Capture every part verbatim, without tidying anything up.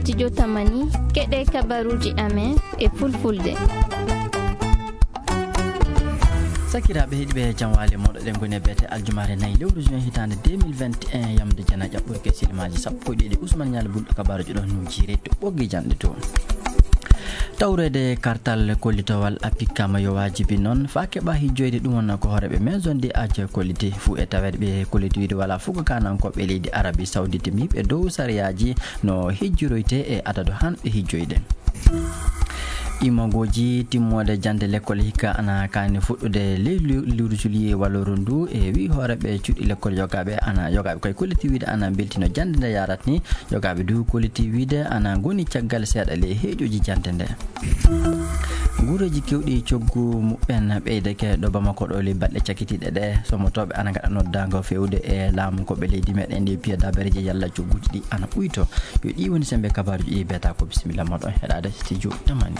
Studio Tamani, keɗe kabaruuji amen e fulfulde. Sakiraaɓe heɗiiɓe, jam waali moɗo, ɗen ngoni e beete aljumaare nayi lewru juin hitaande deux mille vingt et un, yamde jana ƴaɓɓurke silimaaji sappo e ɗiɗi. Usman Ñaali Bul kabaruuji ɗo nujire to ɓoggi janɗe to. Tawreede kartal kollitowal appikkama yo waajibi noon faa keɓa hijjoyde, ɗum wonnoo ko hooreeɓe maison de aji kolliti fuu e taweede ɓe kolliti wiide walaa fuu ko kaanankooɓe leydi Arabie Saoudite mbiiɓe dow sariyaaji no hijjiroyte e adadu haanɓe hijjoyde. Immagooji timmoode jannde lekkol hikka ana kaani fuɗɗude ley lu-, lewru juillet wallooru ndu e wii hooreeɓe cuuɗi lekkol yogaaɓe ana yogaaɓe koye kolliti wiide ana mbeltino jannde nde yarat ni. Yogaaɓe du kolliti wiide ana ngoni caggal seeɗa ley heeƴooji jannde nde. Nguureeji keewɗi coggu muɓɓen ɓeydake ɗo Bamako ɗo ley balɗe cakkitiiɗe ɗe. Somotooɓe ana ngaɗa noddaango feewde e laamu ko ɓe leydi meɗen ndi piya dabareeji yalla cogguuji ɗi ana ɓuyto. Yo ɗi woni semmbe kabaruuji ɗi beeta ko bisimilla moɗon heɗaade studio Tamani.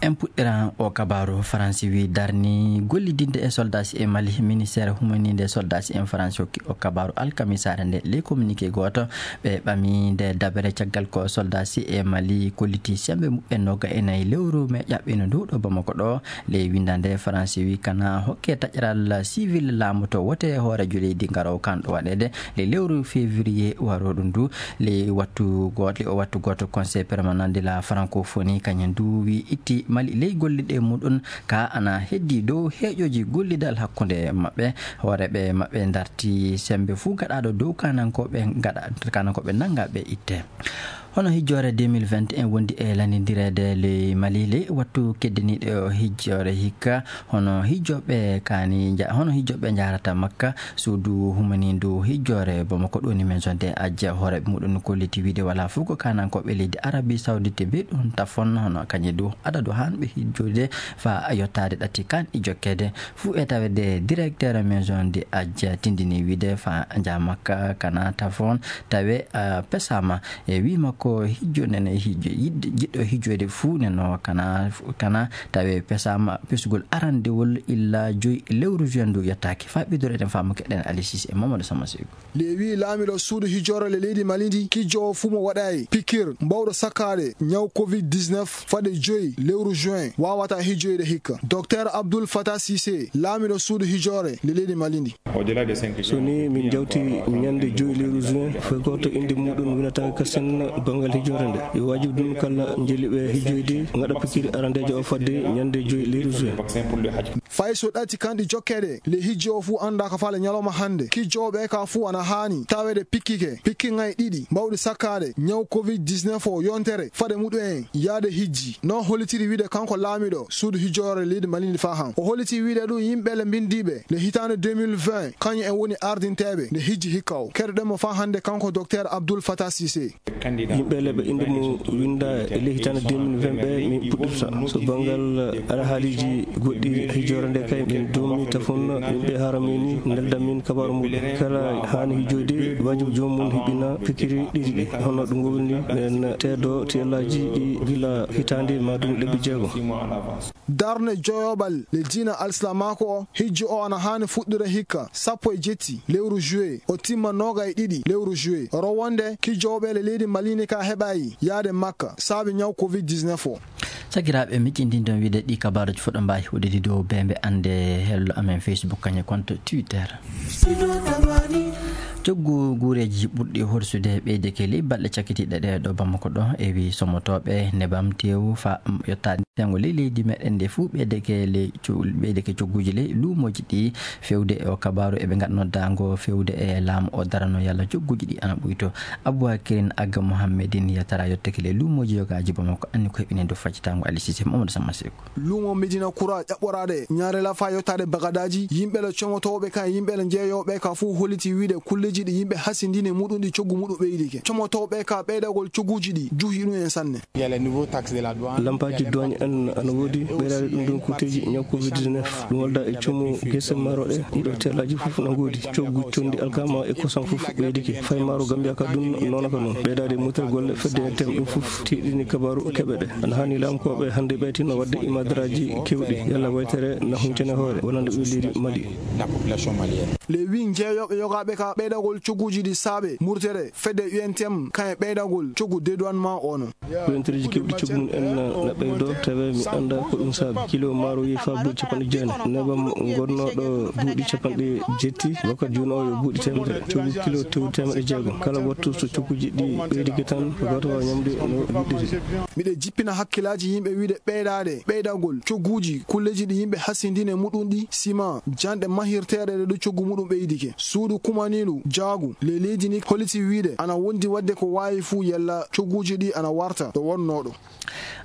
En puɗɗiran o kabaaru. Faransi wi darni gollidinde e soldasi e Mali. Ministeer humaninde soldasi en Faransi hokki o kabaaru alkamisaare nde ley communiqué gooto. Ɓe ɓami nde dabere caggal ko soldasi e Mali kolliti semmbe muɓɓen noga e nayi lewru me ƴaɓɓino ndu ɗo Bamako ɗo. Ley winndande Faransi wi kana hokke taƴral civil laamu to wote hooreejo leydi ngarowo kan ɗo waɗeede ley lewru février warooɗo ndu. Ley wattu gooto, ley o wattu gooto Conseil permanent de la francophonie kañum du wi itti Mali ley gollirɗe muɗum ka ana heddi dow heeƴooji gollidal hakkunde maɓɓe. Hooreeɓe maɓɓe darti semmbe fuu gaɗaaɗo dow kaanankooɓe gaɗa, kaanankooɓe nannga ɓe itte. Hono hijjoore deux mille vingt et un wondi e lanndireede ley Mali ley wattu keddiniiɗo hijjoore hikka. Hono hijjooɓe kaani nja-, hono hijjooɓe njaarata Makka, suudu humanindu hijjoore Bamako ɗoni maison de aji hooreeɓe muɗum kolliti wiide walaa fuu ko kaanankooɓe leydi Arabie Saoudite mbiɗum tafon hono kañum du adadu haanɓe hijjude faa yottaade ɗati kan e jokkeede. Fuu e taweede directeur maison de aji tindini wiide faa nja Makka kana tafon tawe, ah, pesaama. E wii makko hijjo nene hijjo yiɗ-, jiɗɗo hijjoyde fuu neno kana, kana tawe pesaama pesugol arandewol illa joyi lewru juin ndu yettaaki. Faa ɓiddore eɗen faamu keɗen Alisis e Mamadou Sama Seyku. Ley wii laamiɗo suudu hijjoore le leydi Mali ndi, kijjo o fuu mo waɗaay pikir mbawɗo sakkaade ñaw covid dix-neuf fade joyi lewru juin waawata hijjoyde hikka. Docteur Abdoul Fatah Cissé, laamiɗo suudu hijjoore le leydi Mali ndi. So ni min njawti ñande joyi lewru juin, foy gooto innde muɗum winata kasen banngal hijjoore nde. Yo waajibi ɗum kala njeliiɓe hijjoyde ngaɗa pikiri arandeejo o fadde ñande joyi lewru juin. Fay so ɗati kanɗi jokkeede, le hijji o fuu annda ka faale ñalawma hannde. Kijjooɓe ka fuu ana haani taweede pikkike, pikki ŋay ɗiɗi mbawɗi sakkaade ñaw covid dix-neuf o yontere fade muɗum en yaade hijji. No hollitiri wiide kanko laamiɗo suudu hijjoore leydi Mali ndi faa han. O holliti wiide ɗum yimɓe le mbindiiɓe le hitaande deux mille vingt, kañum en woni ardinteeɓe nde hijji hikka o. Keɗoɗen mo faa hannde kanko Docteur Abdoul Fatah Cissé. Yimɓe le ɓe innde mum winnda e le hitaande deux mille vingt ɓe min puɗɗirta. So banngal ara haaliiji goɗɗi hijjoore nde kay min doomi tafon yimɓe haara min ni nelda min kabaaru muɗum. Kala haani hijjoyde waajibi joomum hiɓɓina pikiri ɗiɗi ɗi. Hono ɗum woni men teedo tiyallaaji ɗi gila hitaande maa ɗum lebbi jeego. Darnde joyoɓal le diina alsilaamaaku o, hijju o ana haani fuɗɗude hikka sappo e jetti lewru juillet, o timma nooga e ɗiɗi lewru juillet. Rowonde kijjooɓe le leydi Mali ni ka heɓaay yaade Makka saabi ñaw covid dix-neuf o. Sakiraaɓe, miccindin ɗon wiide ɗi kabaaruji fof ɗo mbaawi huɗidi dow bembe annde hello amen Facebook kañum konto Twitter. Coggu guureeji ɓurɗi horsude ɓeydeke ley balɗe cakkitiiɗe ɗe ɗo Bamako ɗo, e wi somotooɓe nebam teewu fa yottaade tengo ley leydi meɗen nde fuu ɓeydeke ley co-, ɓeydeke cogguuji ley luumooji ɗi. Fewde e o kabaaru eɓe ngaɗa noddaango fewde e laamu o darano yalla cogguuji ɗi ana ɓuyto. Aboubacrine Agga Mohammedine yetara yottake ley luumooji yogaaji Bamako anni ko heɓini dow faccitaango Ali Cissé Mamadou Samma Seku. Luumo Medina Kura ƴaɓɓoraade Ñaarela faa yottaade Bagadaaji, yimɓe le comotooɓe ka e yimɓe le jeeyooɓe ka fuu holliti wiide kulleeji ɗi yimɓe hasindini muɗum ɗi coggu muɗum ɓeydike. Comotooɓe ka ɓeydagol cogguuji ɗi juhi ɗum en sanne. Lampaaji douane Ana woodi ɓeydaade ɗum ɗum kuuteeji ñaw covid dix-neuf. Ɗum walda e cumu gese maaro ɗe, ɗiɗo teelaaji fof na ngoodi. Coggu conndi alkama e kosam fof ɓeydike. Fay maaro Gambia ka ɗum noona ka noon. Ɓeydaade mutere golle fedde e tem ɗum fof tiiɗini kabaaru keɓe ɗe. Ana haani laamkooɓe hannde ɓeytino waɗde imadaraaji keewɗi. Yalla waytere na huncane hoore wonande ɓe leydi Mali. Le wi njeeyooɓe yogaaɓe ka ɓeydagol cogguuji ɗi saabe murtere fedde U N T M kan e ɓeydagol coggu dédouanement ono. Ko entereeji keewɗi coggu mum en na ɓeydoo, tawi mi anndaa ko ɗum saabi. Kilo maaro yehi faa buuɗi capanɗe jeenayi. Nebam ngonnooɗo buuɗi capanɗe jetti, wakkati jooni o yo buuɗi teemedere. Coggu kilo tew teemedde jeegom. Kala wattu so cogguuji ɗi ɓeydike tan, ko gooto waawa ñamde no yiɗiri. Miɗe jippina hakkillaaji yimɓe wiide ɓeydaade, ɓeydagol cogguuji kulleeji ɗi yimɓe hasindini e muɗum ɗi, sima, janɗe mahirteeɗe ɗe ɗo coggu muɗum ɓeydike. Suudu kumaniiɗu jaagu ley leydi ni holliti wiide ana wondi waɗde ko waawi fuu yalla cogguuji ɗi ana warta ɗo wonnoo ɗo.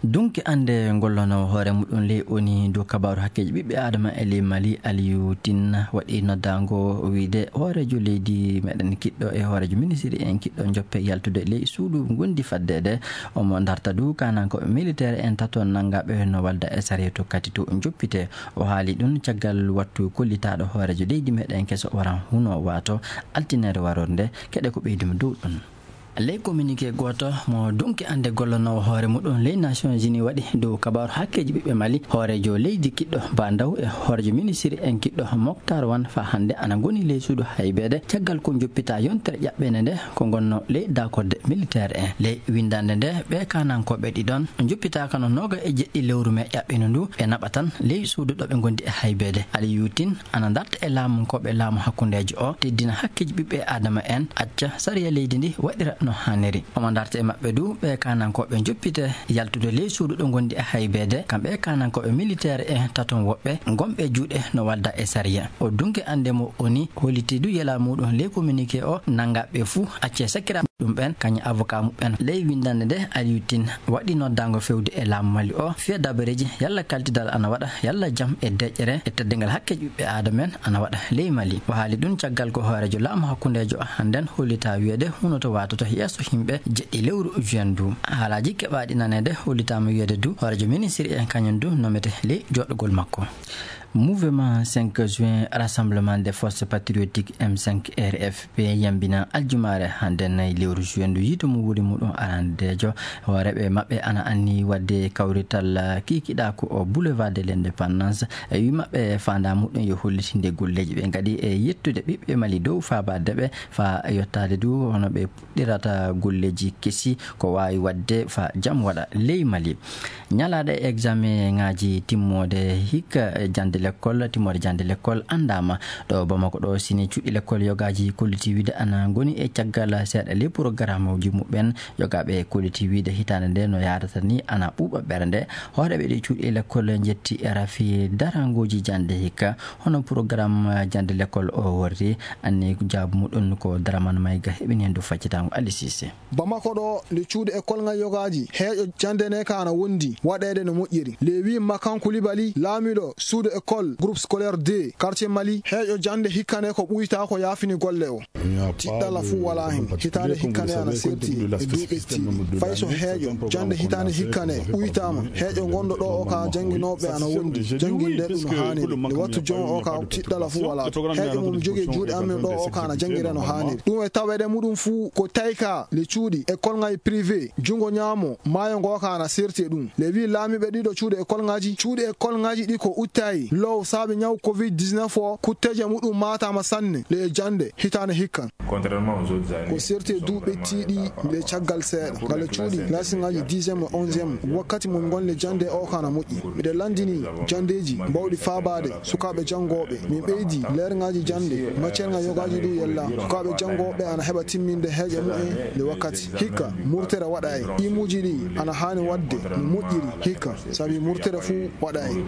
Dunki annde ngollono hoore muɗum ley oni dow kabaaru hakkeeji ɓiɓɓe Adama e ley Mali Aliyu Tin waɗi noddaango wiide hooreejo leydi meɗen kiɗɗo e hooreejo ministiri en kiɗɗo njoppe yaltude ley suudu ngondi faddeede. Omo darta du kanankooɓe militeer en tato nanngaaɓe no walda e sareetu kati to njoppite. O haali ɗum caggal wattu kollitaaɗo hooreejo leydi meɗen keso waran huno waato altineere warorde. Keɗe ko ɓeyduma dow ɗum. Ley communiqué gooto mo dunki annde gollonoowo hoore muɗum ley Nations Unies waɗi dow kabaaru hakkeeji ɓiɓɓe Mali, hooreejo leydi kiɗɗo Bandaw e hooreejo ministiri en kiɗɗo Moktar Wan faa hannde ana ngoni ley suudu haybeede caggal ko njoppita yontere ƴaɓɓende nde ko ngonno ley daakorde militeer en. Ley winndande nde ɓe kanankooɓe ɗiɗon njoppitaaka no nooga e jeɗɗi lewru me ƴaɓɓindu ndu ɓe naɓa tan ley suudu ɗo ɓe ngondi e haybeede. Aliyu Tin ana darta e laamunkooɓe laamu hakkundeejo o, teddina hakkeeji ɓiɓɓe Aadama en, acca sariya leydi ndi waɗira no haaniri. Omo darta e maɓɓe du ɓe kanankooɓe njoppite yaltude ley suudu ɗo ngondi e haybeede, kamɓe kanankooɓe militeer e taton woɓɓe gonɓe juuɗe no walda e sariya. O dunke annde mo oni holliti du yela muɗum ley communiqué o, nanngaɓe fuu acce sakira ɗum ɓen, kañum avocat muɓɓen. Ley winndande nde, Aliyu Tin waɗi noddaango fewde e laamu Mali o, fiya dabareeji yalla kaltidal ana waɗa, yalla jam e deƴƴere e teddingal hakkeeji ɓiɓɓe Aadama en ana waɗa ley Mali. O haali ɗum caggal ko hooreejo laamu hakkundeejo hannden hollita wiyeede hunoto waatoto yeeso yimɓe jeɗɗi lewru juin ndu. Haalaaji keɓaaɗi naneede hollitaama wiyeede du hooreejo ministiri en kañum du nomete ley joɗɗogol makko. Mouvement cinq juin, Rassemblement des Forces Patriotiques, M cinq R F P, yambina aljumaare hannde nayi lewru juin ndu yiito mo wuuri muɗum arandeejo. Hooreeɓe maɓɓe ana anni waɗde kawrital kiikiɗaaku o Boulevard de l'Indépendance. E wi maɓɓe faandaa muɗum yo hollitinde golleeji ɓe ngaɗi e yettude ɓiɓɓe Mali dow faabaade ɓe faa yottaade du hono ɓe puɗɗirata golleeji kesi ko waawi waɗde faa jam waɗa ley Mali. Ñalaaɗe examen ŋaaji timmoode hikka, e jannde lekkol, timmoode jannde lekkol anndaama. Ɗo Bamako ɗo, sini cuuɗi lekkol yogaaji kolliti wiide ana ngoni e caggal seeɗa ley programuuji muɓɓen. Yogaaɓe kolliti wiide hitaande nde no yaarata ni ana ɓuuɓa ɓernde. Hooreeɓe ɗi cuuɗi lekkol njetti e rafi darangooji jannde hikka. Hono programme jannde lekkol o worri, anni jaabu muɗum ko Daraman Mayga heɓini heen dow faccitaango Ali Sise. Bamako ɗo, nde cuuɗi e kolŋa yogaaji, heeƴo jannde ne ka ana wondi waɗeede no moƴƴiri. Lewi Makan Kulibali, laamiiɗo suudu école groupe scolaire deux, quartier Mali, heeƴo jannde hikka ne ko ɓuyta ko yaafini golle o. Tiɗɗala fuu walaa heen. Hitaande hikka ne ana serti e duuɓi tiiɗi. Fay so heeƴo jannde hitaande hikka ne ɓuytaama, heeƴo ngonɗo ɗo o ka jannginooɓe ana wondi. Jannginde ɗum haaniri. Nde wattu jon o ka tiɗɗala fuu walaa. Heeƴo mum jogii juuɗe amen ɗo o ka ana janngiree no haaniri. Ɗum e taweede muɗum fuu ko tawi ka le cuuɗi e kolŋay privé, junngo ñaamo, maayo ngo ka ana serti e ɗum. Le wi laamiiɓe ɗiɗo cuuɗi e kolŋaaji, cuuɗi e kolŋaaji ɗi ko uttayi low saabe ñaw covid dix-neuf o, kutteeje muɗum maataama sanne le e jannde hitaande hikkan. Ko serti e duuɓi ɓettiiɗi nde caggal seeɗa. Ngale cuuɗi, laasiŋaaji dixième e onzième, wakkati mo ngonle jannde o ka ana moƴƴi. Miɗo lanndini janndeeji mbawɗi faabaade sukaaɓe janngooɓe. Min ɓeydi leerŋaaji jannde, maccerŋa yogaaji ɗi yella. Sukaaɓe janngooɓe ana heɓa timminde heeƴe mumen nde wakkati. Hikka, murtere waɗa e imuuji ɗi ana haani waɗde no moƴƴiri. Hikka, sabi murtere fuu waɗa e.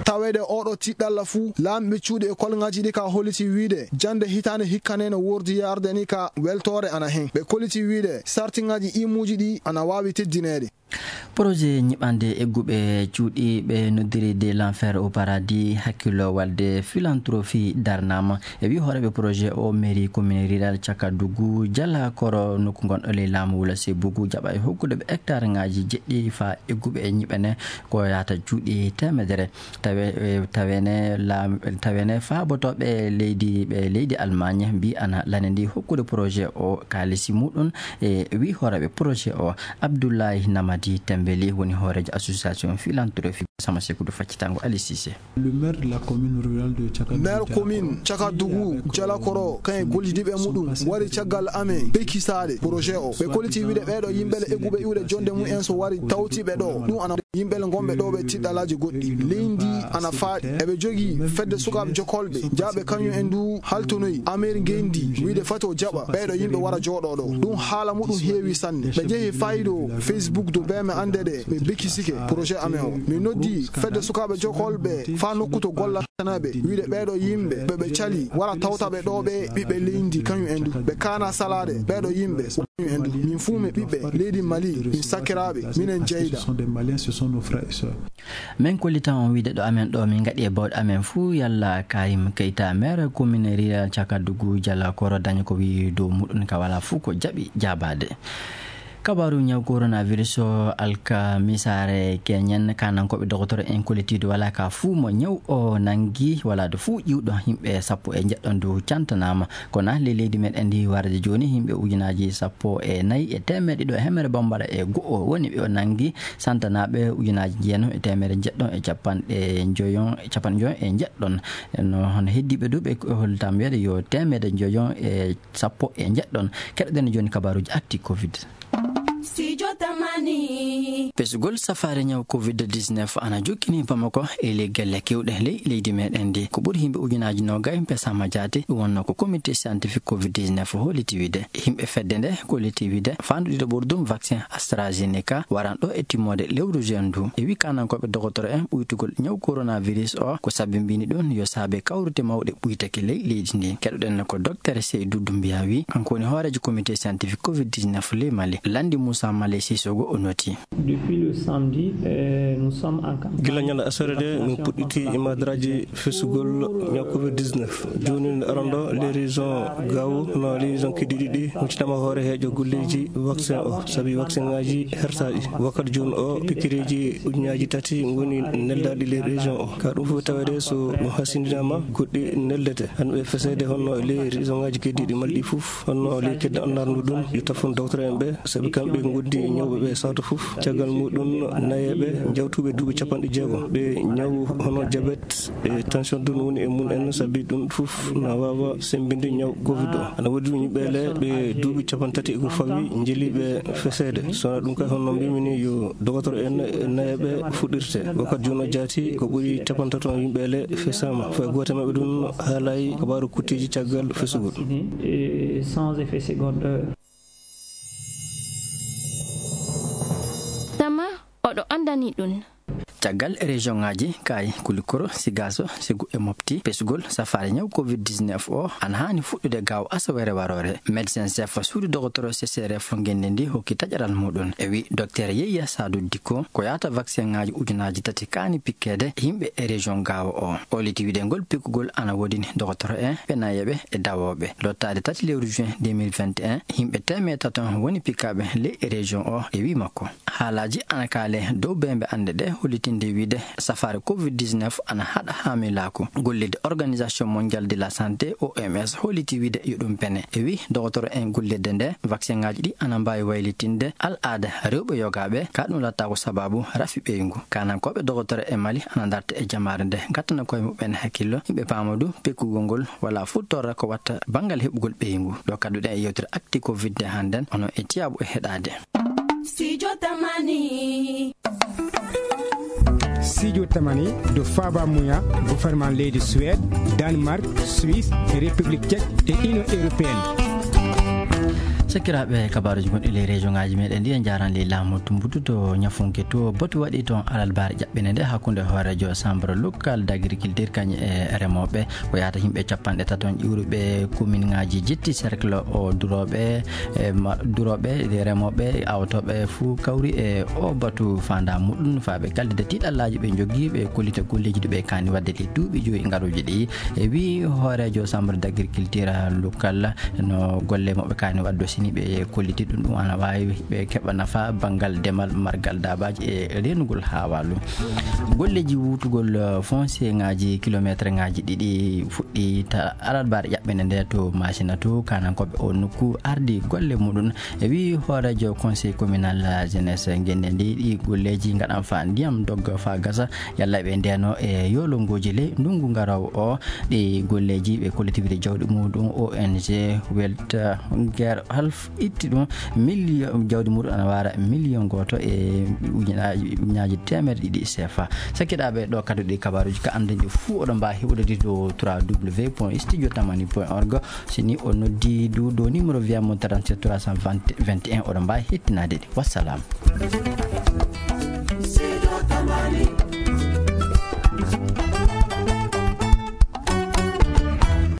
Taweede oɗo tiɗɗalla fuu, laamiiɓe cuuɗi e kolŋaaji ɗi ka holliti wiide, jannde hitaande hikka ne no wordi yarde ni ka weltoore ana heen. Ɓe kolliti wiide, sartiŋaaji imuuji ɗi ana waawi teddineede. Projet nyiɓande egguɓe cuuɗi ɓe noddiri de l'enfer au paradis, hakkillo walde philanthropie darnama. E wi hooreɓe projet o, mairie commune rurale Cakadugu, Jala Koro, nokku gonɗo ley laamu Wula Sebugu, jaɓa e hokkude ɓe hectare ngaji jeɗɗi fa egguɓe e nyiɓane ko yaata cuuɗi temedere. Tawe, eh, tawene laam-, tawene faabotoɓe leydi, ɓe leydi Allemagne mbi ana lane ndi hokkude projet o kaalisi muɗum. E wi hooreɓe projet o, Abdoulaye Namadi Tembeli, woni hoorejo association philanthropie sama sekudu faccitango Ali Cissé. Le maire de la commune rurale de Cakadougou, maire commune Cakadougou, Jala Koro, kan e gollidiɓe muɗum wari caggal amen bekkisaade projet o. Ɓe kolliti wiide ɓeeɗo yimɓe le egguɓe iwde jonde mum en so wari tawti ɓe ɗo. Ɗum ana yimɓe le gonɓe ɗo ɓe tiɗɗalaaji goɗɗi. Leydi ana faaɗi. Eɓe jogii fedde sukaaɓe jokolɓe. Jaaɓe kañum en du haltonoyi amer ngenndi wiide fato jaɓa ɓeeɗo yimɓe wara jooɗo ɗo. Ɗum haala muɗum heewi sanne. Ɓe jehi faydo Facebook do bee me annde ɗe mi bekisike projet amen o. Mi noddi fedde sukaaɓe jokolɓe faa nokku to golla tanaɓe wiide ɓeeɗo yimɓe ɓe ɓe cali wara tawta ɓe ɗo ɓe ɓiɓɓe leydi kañum en du. Ɓe kaana salaade ɓeeɗo yimɓe kañum en du. Min fuu mi ɓiɓɓe leydi Mali, min sakkiraaɓe, minen jeyda. Ce sont des Maliens, ce sont nos frères et sœurs. Min kollitan on wiide ɗo amen ɗo min ngaɗi e bawɗe amen fuu yalla Karim Keita, maire commune rurale Cakadougou, Jala Koro, dañi ko wi dow muɗum ka wala fuu ko jaɓi jaabaade. Kabaaru ñaw coronavirus o, alkamisaare keñen, kanankooɓe dogotoro en kollitiidu wala ka fuu mo ñaw o nangi, wala do fuu ƴiwɗo yimɓe sappo e njeɗɗon du cantanaama. Kono le leydi meɗen ndi warde jooni yimɓe ujunaaji sappo e nayi e teemeɗe ɗiɗo e hemere bambara e go'o woni ɓe o nangi, santanaaɓe ujunaaji jeenom e teemeɗe njeɗɗon e capanɗe njoyon, capanɗe njoyon e njeɗɗon. No hono heddiiɓe du ɓe hollitam wiyeede yo teemeɗe njoyon e sappo e njeɗɗon. Keɗoɗen jooni kabaaruji actu covid. Studio Tamani. Pesugol safaare ñaw covid dix-neuf ana jokkini Bamako e ley gelle kewɗe ley leydi meɗen ndi. Ko ɓuri yimɓe ujunaaji nogay pesaama jaati, ɗum wonno ko comité scientifique covid dix-neuf holliti wiide. Yimɓe fedde nde kolliti wiide fandu ɗiɗo ɓurdum vaccin AstraZeneca waran ɗo e timmoode lewru juin ndu. E wi kanankooɓe dogotoro en ɓuytugol ñaw coronavirus o ko sabi mbini ɗum yo saabe kawrite mawɗe ɓuytake ley leydi ndi. Keɗoɗen ko Docteur Seydou Doumbia wi, kanko woni hooreejo comité scientifique covid dix-neuf ley Mali. Lanndi Moussa Malé Sissoko o noti. Depuis le samedi, euh, nous sommes en campagne. Gila ñande asere de min puɗɗiti imadraji fesugol ñaw covid dix-neuf. Jooni nde arondo les régions Gao, no les régions Kididi ɗi, huccitama hoore heejo golleji vaccin o, sabi vaccin ngaji hertaɗi. Wakkati jooni o, pikireji ujunaji tati ngoni neldaɗi les régions o. Ka ɗum fof tawede so ɗum hasindinama, goɗɗi neldete. Hande ɓe fesede honno les régions ngaji keddiɗi malɗi fof, honno les kedde annarno ɗum, yo tafon docteur en ɓe, sabi kamɓe gondi ñawɓe ɓe sawto fof. Caggal muɗum, nayeɓe jawtuɓe duuɓi capanɗe jeegom, ɓe ñaw hono diabète e tension ɗum woni e mum en, sabi ɗum fof na wawa sembinde ñaw covid o. Ana woodi ɗum yimɓe le ɓe duuɓi capantati e ko fawi jeliɓe fesede. Sona ɗum kay honno mbimi ni yo dogotoro en nayeɓe fuɗɗirte. Wakkati jooni o jaati ko ɓuri capantato yimɓe le fesama. Fay goto maɓɓe ɗum haalay kabaru kuttiji caggal fesugol. Et sans effet secondaire. Tama oɗo andani ɗum. Caggal région ngaji kay Kulikoro, Sigaso, Segu e Mopti, pesugol safaare ñaw covid dix-neuf o ana hani fuɗɗude gaawo asawere warore. Médecin chef suudu dogotoro C C R F ngenndi ndi hokki taƴaral muɗum. E wi Docteur Yeyya Sadou Dikko ko yaata vaccin ngaji ujunaji tati kaani pikkede yimɓe e région gaawo o. O liti wiide ngol pikkugol ana woodini dogotoro en, ɓe nayeɓe e dawoɓe. Lottaade tati lewru juin deux mille vingt et un, yimɓe teemeɗe tato woni pikkaɓe ley région o e wi makko. Haalaaji ana kaale dow bembe annde ɗe hollitinde wiide safaare covid dix-neuf ana haɗa haamilaku. Gollirde Organisation Mondiale de la Santé, O M S, holliti wiide yo ɗum pene. E wi dogotoro en gollirde nde, vaccin ngaji ɗi ana mbaawi waylitinde al'aada rewɓe yogaaɓe, ka ɗum latta ko sababu rafi ɓeyngu. Kanankooɓe dogotoro e Mali ana darta e jamaare nde, ngattana koye muɓɓen hakkillo, yimɓe paama du pekkugol ngol wala fu torra ko watta banngal heɓugol ɓeyngu. Ɗo kadduɗen e yewtere actu covid nde hannden, onon e tiyaabu e heɗaade. Studio Tamani. Studio Tamani do faaba muya gouvernement leydi Suède, Danemark, Suisse, République Tchèque et Union Européenne. Sakiraaɓe, kabaaruuji gonɗi ley région ŋaaji meɗen ɗi, en njaaraani ley laamu Tumbutu to Ñafunke to. Batu waɗi toon alarbaare ƴaɓɓinde nde hakkunde hooreejo chambre local d'agriculture kañum e remooɓe. Ko yahata yimɓe capanɗe tato ƴuuruɓe commune ŋaaji jetti cercle o durooɓe, e ma-, durooɓe, remooɓe, awtooɓe fuu kawri e o batu faandaa muɗum faa ɓe kaldida tiiɗallaaji ɓe njogii, ɓe kollita golleeji ɗi ɓe kaani waɗde ɗi duuɓi joyi ngaruuji ɗi. E wii hooreejo chambre d'agriculture local, no golle mo ɓe kaani waɗde, so nii ɓe kolliti ɗum, ɗum ana waawi ɓe keɓa nafa banngal demal, margal daabaaji e reenugol haawaalu. Golleeji wuutugol, eh, foncier ŋaaji kilometre ŋaaji ɗiɗi fuɗɗii ta alarbaare ƴaɓɓinde nde to Maasina to. Kaanankooɓe o nokku ardi golle muɗum. E wii hooreejo conseil communal, eh, jeunesse ngenndi ndi, ɗi golleeji ngaɗan faa ndiyam dogga faa gasa. Yalla ɓe ndeeno e yoolongooji ley ndunngu ngaroowo o. Ɗi golleeji ɓe kollitiwde jawdi muɗum O N G Weltgare Half itti ɗum million, jawdi muɗum ana waara million gooto e ujunaaji, ujunaaji teemedde ɗiɗi C F A. Sakiraaɓe, ɗo kadi ɗi kabaaruuji ka annduɗi fuu oɗon mbaawi heɓude ɗi to trois W point studio tamani point org. So nii o noddi du, do numéro via mo trente-sept trois cent vingt, vingt et un, oɗon mbaawi hettinaade ɗi. Wassalam.